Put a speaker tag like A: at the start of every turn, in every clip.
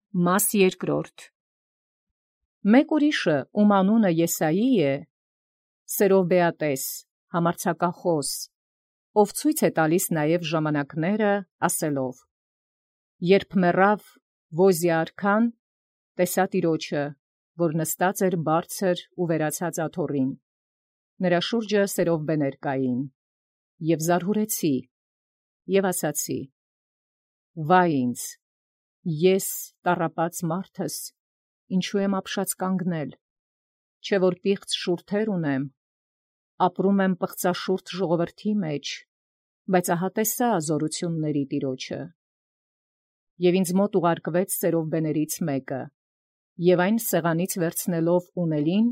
A: Մաս երկրորդ։ Մեկ ուրիշը, ում անունը Եսայի է, սերով բեատես, համարձակախոս, ով ցույց է տալիս նաև ժամանակները, ասելով. երբ մեռավ Ոզիա արքան, տեսա Տիրոջը, որ նստած էր բարձր ու վերացած աթոռին, նրա շուրջը սերով բեներ կային, և զարհուրեցի, և ասացի. վայ ինձ, ես տառապած մարդս, ինչու եմ ապշած կանգնել, չէ որ պիղծ շուրթեր ունեմ, ապրում եմ պղծաշուրթ ժողովրդի մեջ, բայց ահա տեսա զորությունների Տիրոջը։ Եվ ինձ մոտ ուղարկվեց սերով բեներից մեկը, և այն սեղանից վերցնելով ունելին,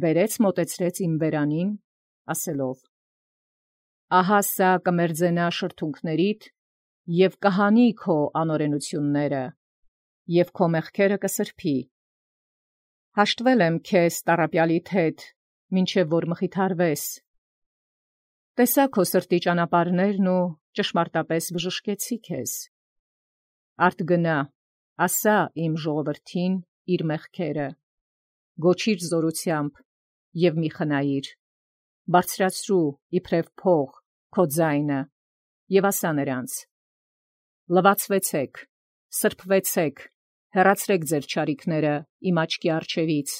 A: բերեց մոտեցրեց իմ բերանին, ասելով. ահա սա կմերձենա շրթունքներիդ, և կհանի քո անօրենությունները, և քո մեղքերը կսրբի։ Հաշտվել եմ քեզ տառապյալիդ հետ, մինչև որ մխիթարվես։ Տեսա քո սրտի ճանապարհներն ու ճշմարտապես բժշկեցի քեզ։ Արդ գնա, ասա իմ ժողովրդին իր մեղքերը, գոչիր զորությամբ և մի խնայիր, բարձրացրու իբրև փող քո ձայնը և ասա նրանց. լվացվեցեք, սրբվեցեք, հեռացրեք ձեր չարիքները իմ աչքի առջևից,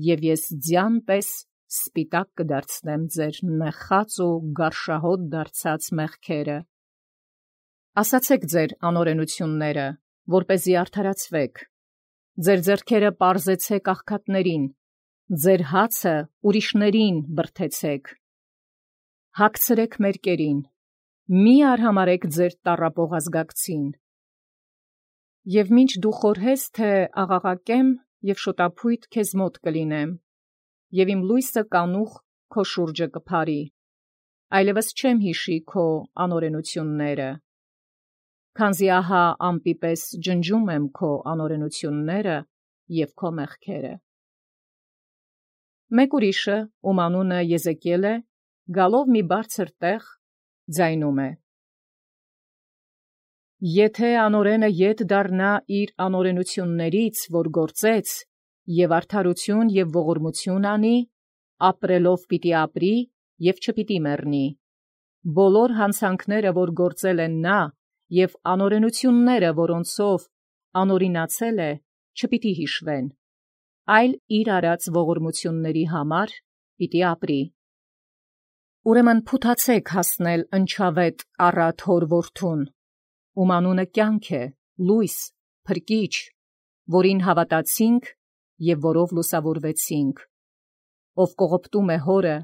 A: և ես ձյան պես սպիտակ կդարձնեմ ձեր նեխած ու գարշահոտ դարձած մեղքերը։ Ասացեք ձեր անօրենությունները, որպեսզի արդարացվեք, ձեր ձեռքերը պարզեցեք աղքատներին, ձեր հացը ուրիշներին բրդեցեք։ Հագցրեք մերկերին, մի արհամարհեք ձեր տառապող ազգակցին։ Եվ մինչ դու խորհես, թե աղաղակեմ և շոտափույթ քեզ մոտ կլինեմ, և իմ լույսը կանուխ քո շուրջը կփարի, այլևս չեմ հիշի քո անօրենությունները, քանզի ահա ամպի պես ջնջում եմ քո անօրենությունները և քո մեղքերը։ Մեկ ուրիշը, ում անունը Եզեկիել է, գալով մի բարձր տեղ, ձայնում է. Եթե անօրենը ետ դառնա իր անօրենություններից, որ գործեց, և արդարություն և ողորմություն անի, ապրելով պիտի ապրի և չպիտի մեռնի։ Բոլոր հանցանքները, որ գործել են նա, և անօրենությունները, որոնցով անօրինացել է, չպիտի հիշվեն, այլ իր արած ողորմությունների համար պիտի ապրի։ Ուրեմն փութացեք հասնել ընչավետ առատ հոր որդուն, ում անունը կյանք է, լույս, փրկիչ, որին հավատացինք և որով լուսավորվեցինք, ով կողոպտում է հորը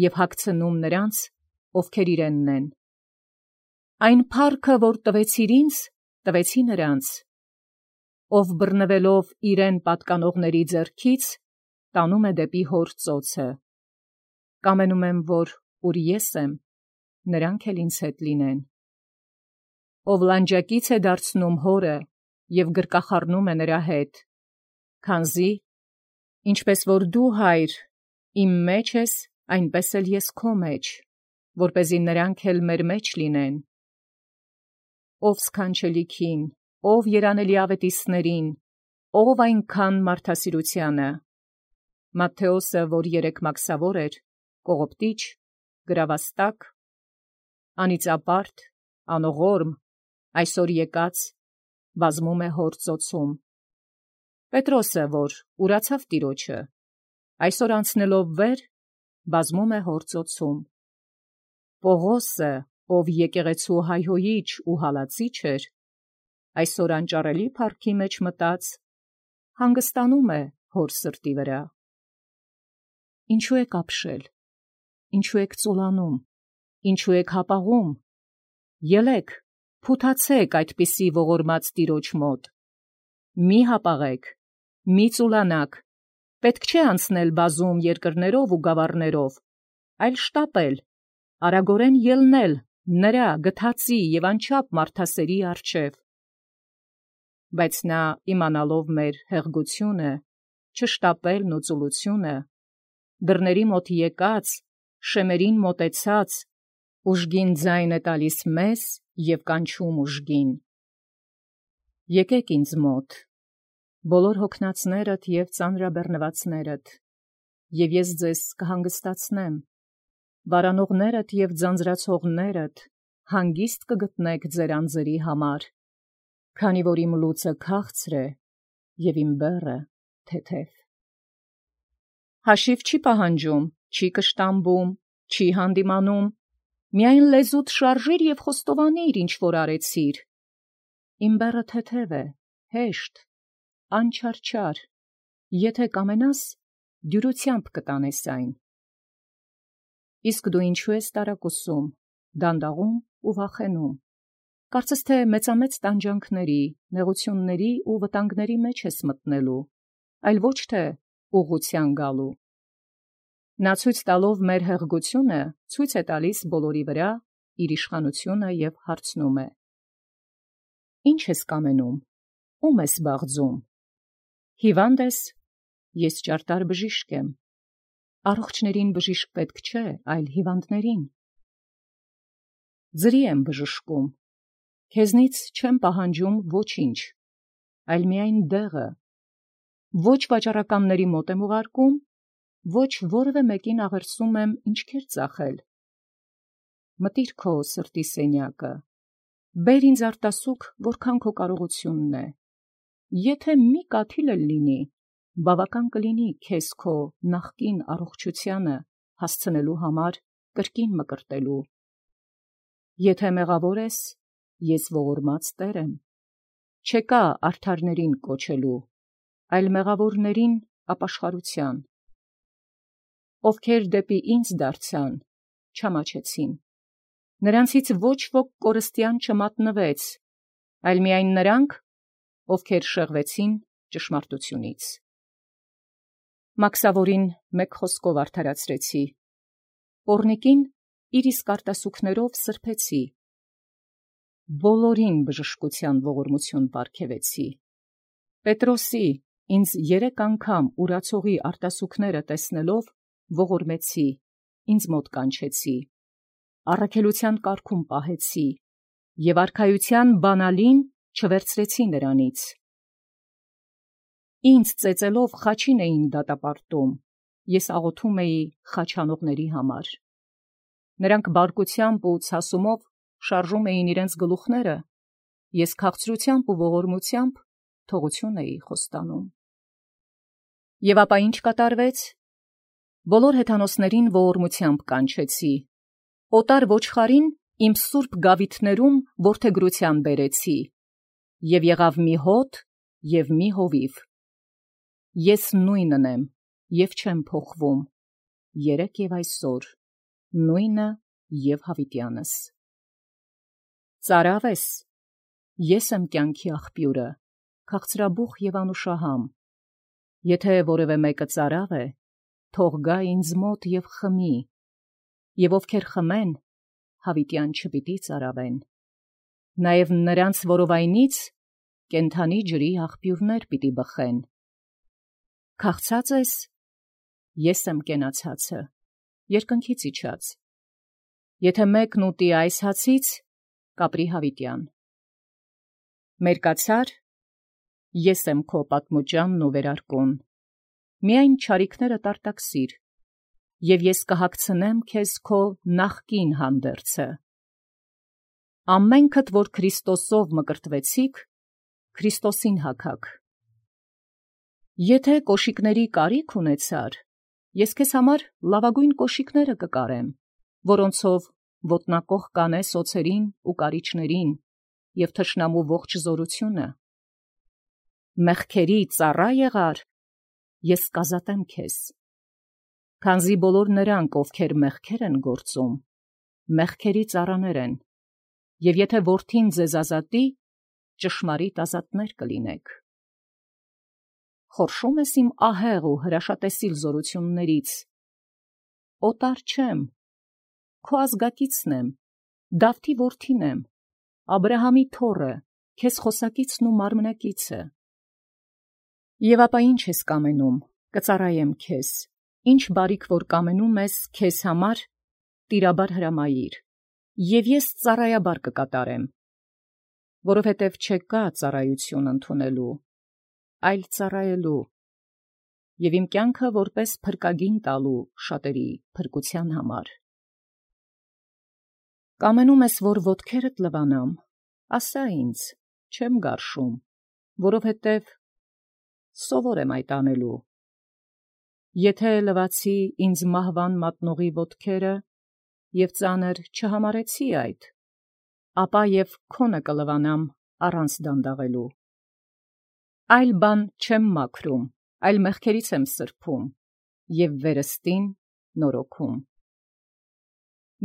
A: և հագցնում նրանց, ովքեր իրենն են։ Այն փառքը, որ տվեցիր ինձ, տվեցի նրանց, ով բռնվելով իրեն պատկանողների ձեռքից, տանում է դեպի հոր ծոցը։ Կամենում եմ, որ ուր ես եմ, նրանք էլ ինձ հետ լինեն։ Ով լանջակից է դարձնում հորը և գրկախառնում է նրա հետ, քանզի ինչպես որ դու, Հայր, իմ մեջ ես, այնպես էլ ես քո մեջ, որպեսզի նրանք էլ մեր մեջ լինեն։ Ով սքանչելիքին, ով երանելի ավետիսներին, ով այնքան մարդասիրությանը, Մատթեոսը, որ երեք մաքսավոր էր, կողոպտիչ, գրավաստակ, անիծապարտ, անողորմ, այսօր եկած, բազմում է հոր ծոցում։ Պետրոսը, որ ուրացավ Տիրոջը, այսօր անցնելով վեր, բազմում է հոր ծոցում։ Պողոսը, ով եկեղեցու հայհոյիչ ու հալածիչ էր, այսօր անճարելի փառքի մեջ մտած, հանգստանում է հոր սրտի վրա։ Ինչու եք ապշել, ինչու եք ծուլանում, ինչու եք հապաղում, ելեք, փութացեք այդպիսի ողորմած Տիրոջ մոտ, մի հապաղեք, մի ծուլանաք, պետք չէ անցնել բազում երկրներով ու գավառներով, այլ շտապել, արագորեն ելնել նրա գթածի և անչափ մարդասերի առջև։ Բայց նա, իմանալով մեր հեղգությունը, չշտապելն ու ծուլությունը, դռների մոտ եկած, շեմերին մոտեցած, ուժգին ձայն է տալիս մեզ և կանչում ուժգին։ Եկեք ինձ մոտ, բոլոր հոգնածներդ և ծանրաբեռնվածներդ, և ես ձեզ կհանգստացնեմ, վարանողներդ և ձանձրացողներդ, հանգիստ կգտնեք ձեր անձերի համար, քանի որ իմ լուծը քաղցր է, և իմ բեռը թեթև։ Հաշիվ չի պահանջում, չի կշտամբում, չի հանդիմանում, միայն լեզուդ շարժիր և խոստովանիր, ինչ որ արեցիր։ Իմ բեռը թեթև է, հեշտ, անչարչար, եթե կամենաս, դյուրությամբ կտանես այն։ Իսկ դու ինչու ես տարակուսում, դանդաղում ու վախենում, կարծես թե մեծամեծ տանջանքների, նեղությունների ու վտանգների մեջ ես մտնելու, այլ ոչ թե ուղղության գալու։ Նա ցույց տալով մեր հեղգությունը, ցույց է տալիս բոլորի վրա իր իշխանությունը և հարցնում է. Ի՞նչ ես կամենում, ո՞ւմ ես բաղձում։ Հիվանդ ես, ես ճարտար բժիշկ եմ, առողջներին բժիշկ պետք չէ, այլ հիվանդներին։ Ձրի եմ բժշկում, քեզնից չեմ պահանջում ոչինչ, այլ միայն դեղը, ոչ վաճառականների մոտ եմ ուղարկում, ոչ որևէ մեկին աղերսում եմ ինչքեր ծախել։ Մտիր քո սրտի սենյակը, բեր ինձ արտասուք, որքան քո կարողությունն է, եթե մի կաթիլ էլ լինի, բավական կլինի քեզ քո նախկին առողջությանը հասցնելու համար կրկին մկրտելու։ Եթե մեղավոր ես, ես ողորմած Տեր եմ, չեկա արդարներին կոչելու, այլ մեղավորներին ապաշխարության։ Ովքեր դեպի ինձ դարձան, չամաչեցին, նրանցից ոչ ոք կորստյան չմատնվեց, այլ միայն նրանք, ովքեր շեղվեցին ճշմարտությունից։ Մաքսավորին մեկ խոսքով արդարացրեցի, պոռնիկին իր իսկ արտասուքներով սրբեցի, բոլորին բժշկության ողորմություն պարգևեցի։ Պետրոսի ինձ 3 անգամ ուրացողի արտասուքները տեսնելով ողորմեցի, ինձ մոտ կանչեցի, առաքելության կարգում պահեցի, և արքայության բանալին չվերցրեցի նրանից։ Ինձ ծեծելով խաչին էին դատապարտում, ես աղոթում էի խաչանողների համար։ Նրանք բարկությամբ ու ցասումով շարժում էին իրենց գլուխները, ես քաղցրությամբ ու ողորմությամբ թողություն էի խոստանում։ Եվ ապա ինչ կատարվեց։ Բոլոր հեթանոսներին ողորմությամբ կանչեցի, օտար ոչխարին իմ սուրբ գավիթներում որդեգրության բերեցի, և եղավ մի հոտ և մի հովիվ։ Ես նույնն եմ և չեմ փոխվում, երեկ և այսօր, նույնը և հավիտյանս։ Ծարավ ես, ես եմ կյանքի աղբյուրը, քաղցրաբուխ և անուշահամ։ Եթե որևէ մեկը ծարավ է, թող գա ինձ մոտ և խմի, և ովքեր խմեն, հավիտյան չպիտի ծարավեն։ Նաև նրանց որովայնից կենդանի ջրի աղբյուրներ պիտի բխեն։ Քաղցած ես, ես եմ կենացածը, երկնքից իջած։ Եթե մեկն ուտի այս հացից, կապրի հավիտյան։ Մերկացա՞ր, ես եմ քո պատմուճանն ու վերարկուն, միայն չարիքներդ արտաքսիր, և ես կհագցնեմ քեզ քո նախկին հանդերձը։ Ամենքդ, որ Քրիստոսով մկրտվեցիք, Քրիստոսին հագաք։ Եթե կոշիկների կարիք ունեցար, ես քեզ համար լավագույն կոշիկները կկարեմ, որոնցով ոտնակոխ կանես օձերին ու կարիճներին և թշնամու ողջ զորությունը։ Մեղքերի ծառա եղար, ես կազատեմ քեզ։ Քանզի բոլոր նրանք, ովքեր մեղքեր են գործում, մեղքերի ծառաներ են, և եթե որդին ձեզ ազատի, ճշմարիտ ազատներ կլինեք։ Խորշում ես իմ ահեղ ու հրաշատեսիլ զորություններից։ Օտար չեմ, քո ազգակիցն եմ, Դավթի որդին եմ, Աբրահամի թոռը, քեզ խոսակիցն ու մարմնակիցը։ Եվ ապա ի՞նչ ես կամենում, կծառայեմ քեզ, ինչ բարիք որ կամենում ես քեզ համար, տիրաբար հրամայիր, և ես ծառայաբար կկատարեմ։ որովհետև չեկա ծառայություն ընդունելու, այլ ծառայելու, և իմ կյանքը որպես փրկագին տալու շատերի փրկության համար։ Կամենում ես, որ ոտքերդ լվանամ, ասա ինձ, չեմ գարշում, որովհետև սովոր եմ այդ անելու։ Եթե լվացի ինձ մահվան մատնողի ոտքերը, և ծանր չհամարեցի այդ, ապա և քոնը կլվանամ առանց դանդաղելու։ Այլ բան չեմ մաքրում, այլ մեղքերից եմ սրբում, և վերստին նորոգում։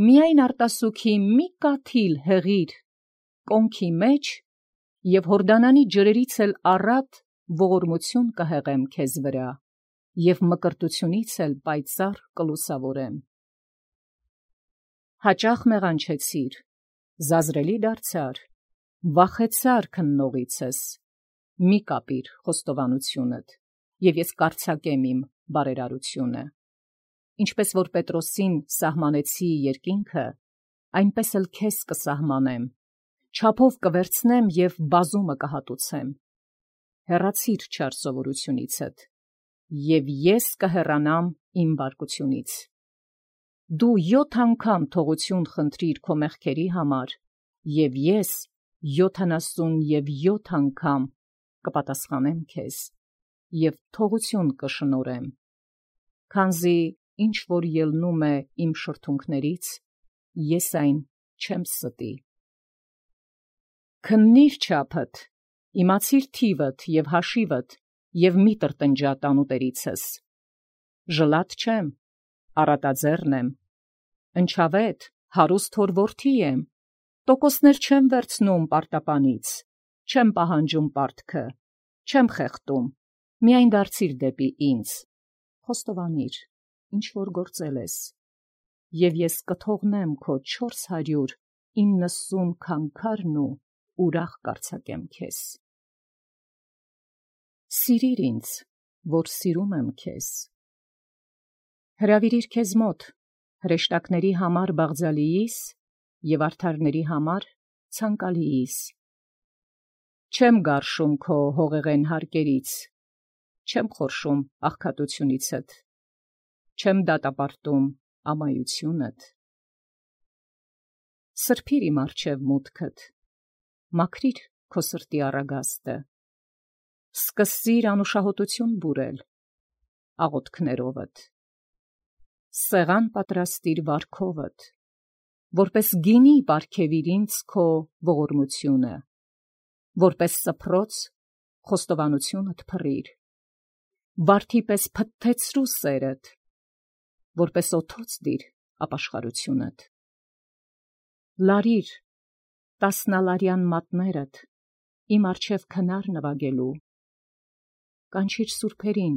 A: Միայն արտասուքի մի կաթիլ հեղիր կոնքի մեջ, և Հորդանանի ջրերից էլ առատ ողորմություն կհեղեմ քեզ վրա, և մկրտությունից էլ պայծառ կլուսավորեմ։ Հաճախ մեղանչեցիր, զազրելի դարձար, վախեցար քննողիցս, մի կապիր խոստովանությունդ, և ես կարձակեմ իմ բարերարությունը։ Ինչպես որ Պետրոսին սահմանեցի երկինքը, այնպես էլ քեզ կսահմանեմ, չափով կվերցնեմ և բազումը կհատուցեմ։ Հեռացիր չար սովորությունիցդ, և ես կհեռանամ իմ բարկությունից։ Դու 7 անգամ թողություն խնդրիր քո մեղքերի համար, և ես 77 անգամ կպատասխանեմ քեզ, և թողություն կշնորհեմ, քանզի ինչ որ ելնում է իմ շրթունքներից, ես այն չեմ ստի։ Քննիր չափդ, իմացիր թիվդ և հաշիվդ, և մի տրտնջա տանուտերիցս։ Ժլատ չեմ, առատաձեռն եմ, ընչավետ, հարուստ հոր որդի եմ, տոկոսներ չեմ վերցնում պարտապանից, չեմ պահանջում պարտքը, չեմ խեղդում, միայն դարձիր դեպի ինձ, խոստովանիր, ինչ որ գործել ես, և ես կթողնեմ քո 490 քանքարն ու ուրախ կարձակեմ քեզ։ Սիրիր ինձ, որ սիրում եմ քեզ։ Հրավիրիր քեզ մոտ, հրեշտակների համար բաղձալիիս և արդարների համար ցանկալիիս։ Չեմ գարշում քո հողեղեն հարկերից, չեմ խորշում աղքատությունիցդ, չեմ դատապարտում ամայությունդ։ Սրբիր իմ առջև մուտքդ, մաքրիր քո սրտի առագաստը, սկսիր անուշահոտություն բուրել աղոթքներովդ, սեղան պատրաստիր վարքովդ, որպես գինի պարգևիր ինձ քո ողորմությունը, որպես սփռոց խոստովանությունդ փռիր, վարդի պես փթթեցրու սերդ, որպես օդոց դիր ապաշխարությունդ։ Լարիր տասնալարյան մատներդ իմ առջև քնար նվագելու, կանչիր սուրբերին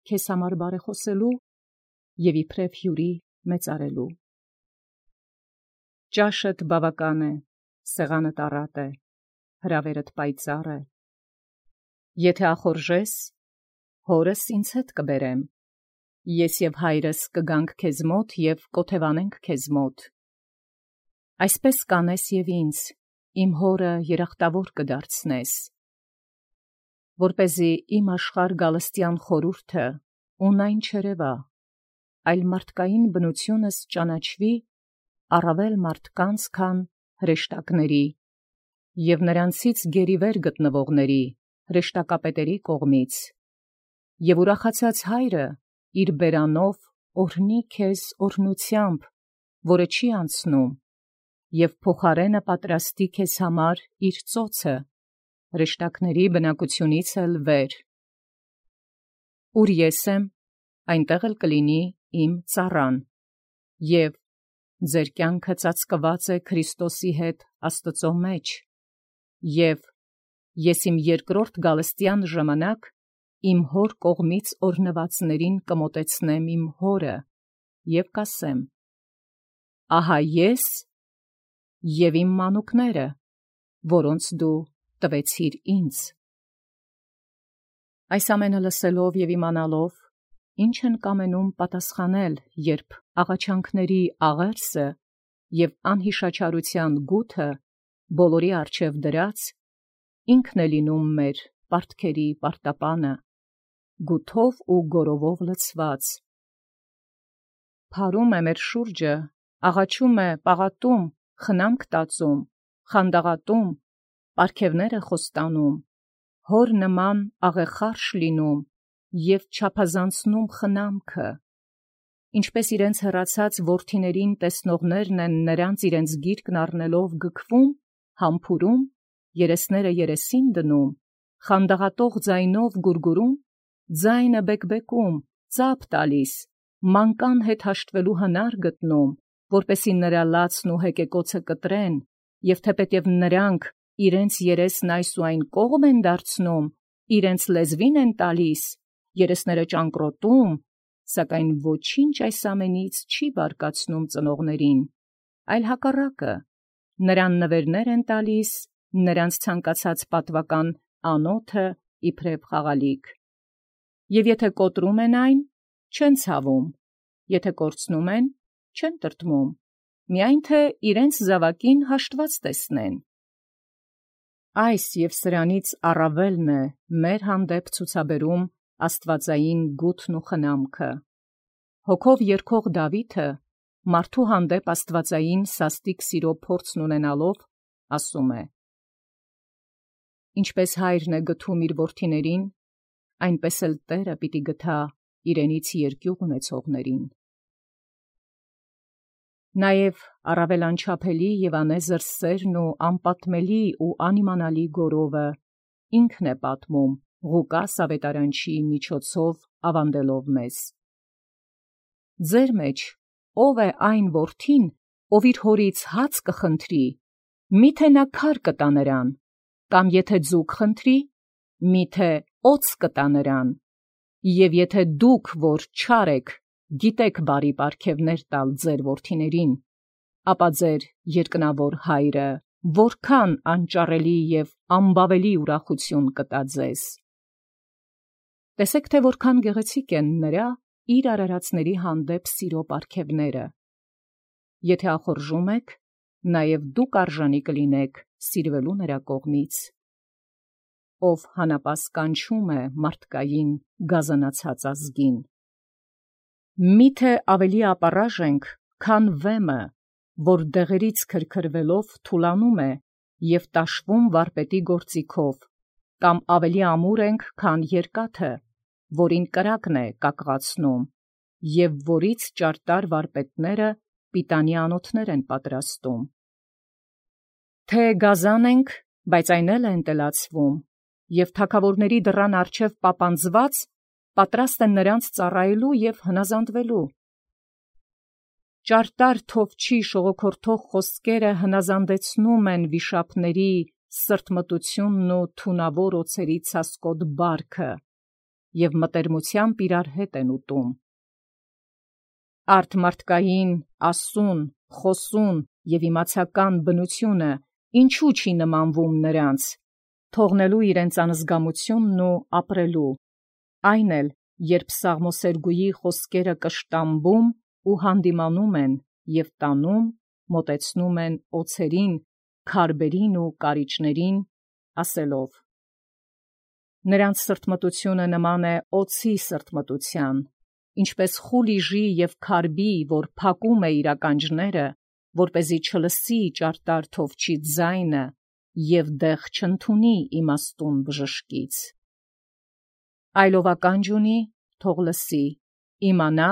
A: քեզ համար բարեխոսելու և իբրև հյուրի մեծարելու։ Ճաշդ բավական է, սեղանդ առատ է, հրավերդ պայծառ է։ Եթե ախորժես, հորս ինձ հետ կբերեմ, ես և հայրս կգանք քեզ մոտ և կօթևանենք քեզ մոտ։ Այսպես կանես և ինձ, իմ հորը երախտավոր կդարձնես, որպեսզի իմ աշխարհ գալստյան խորհուրդը ունայն չերևա, այլ մարդկային բնությունս ճանաչվի առավել մարդկանց, քան հրեշտակների, և նրանցից գերիվեր գտնվողների հրեշտակապետերի կողմից, և ուրախացած հայրը իր բերանով օրհնի քեզ օրհնությամբ, որը չի անցնում, և փոխարենը պատրաստի քեզ համար իր ծոցը, հրեշտակների բնակությունից էլ վեր։ Ուր ես եմ, այնտեղ էլ կլինի իմ ծառան, և ձեր կյանքը ծածկված է Քրիստոսի հետ Աստծո մեջ, և ես իմ երկրորդ գալստյան ժամանակ իմ հոր կողմից օրհնվածներին կմոտեցնեմ իմ հորը և կասեմ. ահա ես և իմ մանուկները, որոնց դու տվեցիր ինձ։ Այս ամենը լսելով և իմանալով, ինչ են կամենում պատասխանել, երբ աղաչանքների աղերսը և անհիշաչարության գութը բոլորի առջև դրած ինքն է լինում մեր պարտքերի պարտապանը, գութով ու գորովով լցված։ Փարում է մեր շուրջը, աղաչում է, պաղատում, խնամք տածում, խանդաղատում, պարգևները խոստանում, հոր նման աղեխարշ լինում և չափազանցնում խնամքը, ինչպես իրենց հեռացած որդիներին տեսնողներն են նրանց իրենց գիրկն առնելով գքվում, համբուրում, երեսները երեսին դնում, խանդաղատող ձայնով գուրգուրում, ձայնը բեկբեկում, ծափ տալիս, մանկան հետ հաշտվելու հնար գտնում, որպեսի նրա լացն ու հեկեկոցը կտրեն, և թեպետև նրանք իրենց երեսն այս ու այն կողմ են դարձնում, իրենց լեզվին են տալիս, երեսները ճանկռոտում, սակայն ոչինչ այս ամենից չի բարկացնում ծնողներին, այլ հակառակը, նրան նվերներ են տալիս, նրանց ցանկացած պատվական անոթը իբրև խաղալիք։ Եվ եթե կոտրում են այն, չեն ցավում, եթե կորցնում են, չեն տրտմում, միայն թե իրենց զավակին հաշտված տեսնեն։ Այս և սրանից առավելն է մեր հանդեպ ցուցաբերում աստվածային գութն ու խնամքը։ Հոգով երգող Դավիթը մարդու հանդեպ աստվածային սաստիկ սիրո փորձն ունենալով ասում է. «Ինչպես հայրն է գթում իր որդիներին, այնպես էլ Տերը պիտի գթա իրենից երկյուղ ունեցողներին»։ Նաև առավել անչափելի և անեզր սերն ու անպատմելի ու անիմանալի գորովը ինքն է պատմում Ղուկաս ավետարանչի միջոցով ավանդելով մեզ. «Ձեր մեջ ո՞վ է այն որդին, ով իր հորից հաց կխնդրի, միթե նա քար կտա նրան, կամ եթե ձուկ խնդրի, միթե օձ կտա նրան, և եթե դուք, որ չար եք, գիտեք բարի պարգևներ տալ ձեր որդիներին, ապա ձեր երկնավոր Հայրը որքան անճառելի և անբավելի ուրախություն կտա ձեզ»։ Տեսեք, թե որքան գեղեցիկ են նրա իր արարածների հանդեպ սիրո պարգևները։ Եթե ախորժում եք, նաև դուք արժանի կլինեք սիրվելու նրա կողմից, ով հանապաս կանչում է մարդկային գազանացած ազգին։ Միթե ավելի ապառաժ ենք, քան վեմը, որ դեղերից քրքրվելով թուլանում է և տաշվում վարպետի գործիքով, կամ ավելի ամուր ենք, քան երկաթը, որին կրակն է կակղացնում, և որից ճարտար վարպետները պիտանի անոթներ են պատրաստում։ Թե գազան ենք, բայց այն էլ է ընտելացվում, և թագավորների դռան առջև պապանձված պատրաստ են նրանց ծառայելու և հնազանդվելու։ Ճարտար թովչի շողոքորթող խոսքերը հնազանդեցնում են վիշապների սրտմտությունն ու թունավոր օձերի ցասկոտ բարքը և մտերմությամբ իրար հետ են ուտում։ Արդ մարդկային, ասուն, խոսուն և իմացական բնությունը ինչու չի նմանվում նրանց, թողնելու իրենց անզգամությունն ու ապրելու, այն էլ, երբ սաղմոսերգուի խոսքերը կշտամբում ու հանդիմանում են և տանում, մոտեցնում են օձերին, քարբերին ու կարիճներին, ասելով. «Նրանց սրտմտությունը նման է օձի սրտմտության, ինչպես խուլիժի և քարբի, որ փակում է իր ականջները, որպեսզի չլսի ճարտար թովչի ձայնը և դեղ չընդունի իմաստուն բժշկից։ Այլ ով ականջ ունի, թող լսի, իմանա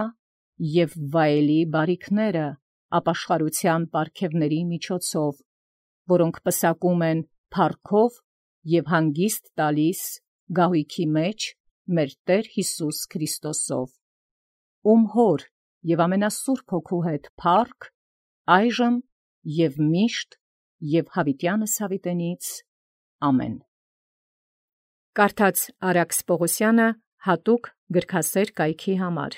A: և վայելի բարիքները ապաշխարության պարգևների միջոցով, որոնք պսակում են փառքով և հանգիստ տալիս գահույքի մեջ մեր Տեր Հիսուս Քրիստոսով, ում Հոր և ամենասուրբ Հոգու հետ փառք, այժմ և միշտ և հավիտյանս հավիտենից։ Ամեն»։ Կարդաց Արաքս Պողոսյանը հատուկ գրքասեր կայքի համար։